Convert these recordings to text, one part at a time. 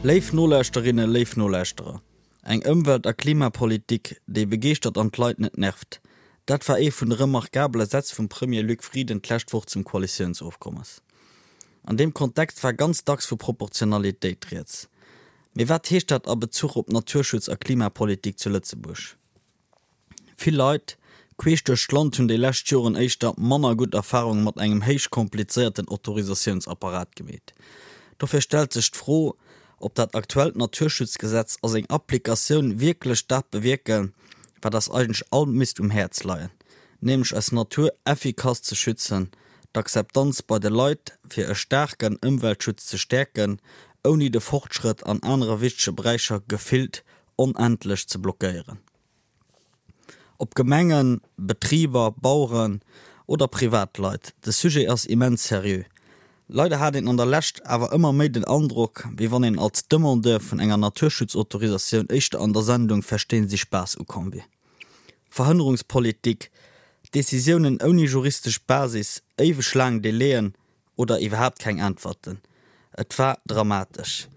Léif Nolauschterinnen, léif Nolauschterer, eng Ëmwelt a Klimapolitik, déi begeeschtert an d'Leit net nervt, dat war ee vun de remarkabele Sätz vum Premier Luc Frieden d'lescht Woch zum Koalitiounsofkommes. An deem Kontext war ganz dacks vu Proportionalitéit rieds. Mee wat heescht dat a Bezuch op Naturschutz a Klimapolitik zu Lëtzebuerg? Vill Leit, queesch duerch d'Land, hunn déi lescht Joren éischter manner gutt Erfarunge mat engem héich komplizéierten Autorisatiounsapparat gemeet. Dofir stellt sech d'Fro, ob dat aktuellt Naturschutzgesetz a seng Applikatioun wierklech dat bewierken, wat eis eigentlech all misst um Häerz leien, nämlech eis Natur effikass ze schützen, d'Akzeptanz bei de Leit fir e staarken Ëmweltschutz ze stäerken, ouni de Fortschrëtt an anere wichtege Beräicher gefillt onendlech ze blockéieren. Ob Gemengen, Betriber, Baueren oder Privatleit, de Sujet ass immens seriö. Leider hat een an der Lescht awer ëmmer méi den Androck, wéi wann een als Demandeur vun enger Naturschutzautorisatioun éischter an der Sendung Verstehen Sie Spaß ukomm wier. Verhënnerungspolitik, Decisiounen ouni juristesch Basis, éiweg laang Delaien, Oder iwwerhaapt keng Äntwerten. Et war dramatesch.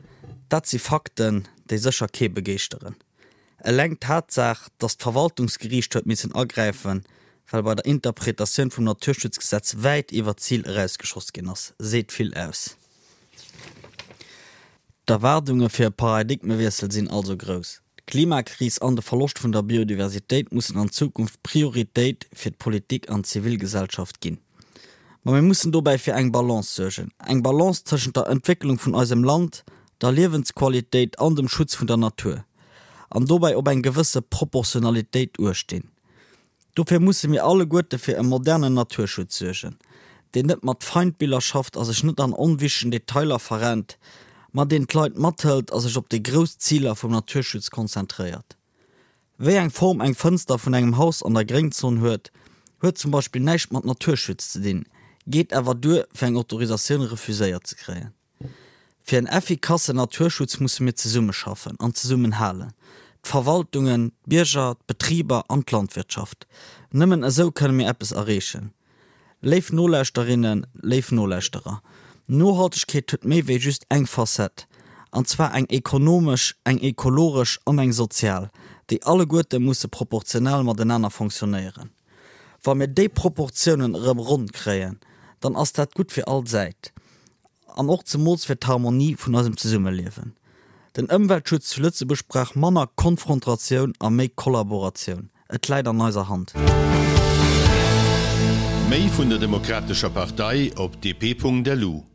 Dat si Fakten, déi sécher kee begeeschteren. Eleng d'Tatsaach, datt d'Verwaltungsgeriicht huet missen agräifen, well bei der Interpretatioun vum Naturschutzgesetz wäit iwwer d'Zil erausgeschoss ginn ass, seet vill aus. D'Erwaardunge fir e Paradigmewiessel sinn also grouss. D'Klimakris an de Verloscht vun der Biodiversitéit mussen an Zukunft Prioritéit fir d'Politik an d'Zivilgesellschaft ginn. Ma mir mussen dobäi fir eng Balance suergen, eng Balance tëschent der Entwécklung vun eisem Land, der Liewensqualitéit an dem Schutz vun der Natur, an dobäi op eng gewësse Proportionalitéit uechtdinn. Dofir musse mir alleguerte fir e modernen Naturschutz suergen, deen net mat Feindbiller schafft a sech net an onwichtegen Detailer verrennt, ma deen d'Leit mathëlt a sech op déi grouss Ziler vum Naturschutz konzentréiert. Wéi eng Form eng Fënster vun engem Haus an der Gréngzon huet, huet zum Beispill näischt mat Naturschutz ze dinn, geet awer duer, fir eng Autorisatioun refuséiert ze kréien. Fir en effikassen Naturschutz musse mir zesummeschaffen an zesummenhalen, d'Verwaltungen, d'Bierger, d'Betriber an d'Landwirtschaft. Nëmmen esou kënne mir eppes erreechen. Léif Nolauschterinnen, léif Nolauschterer, Nohaltegkeet huet méi wéi just eng Facette, an zwar eng ekonomesch, eng ekologesch an eng sozial, déi alleguerte musse proportional matenaner fonctionnéieren. Wa mir déi Proportiounen erëm ronn kréien, dann ass dat gutt fir all Säit. An och zemools fir d'Harmonie vun eisem Zesummeliewen. Den Ëmweltschutz zu Lëtzebuerg brauch manner Konfrontatioun a méi Kollaboratioun. Et läit an eiser Hand. Méi vun der Demokratescher Partei op dp.lu.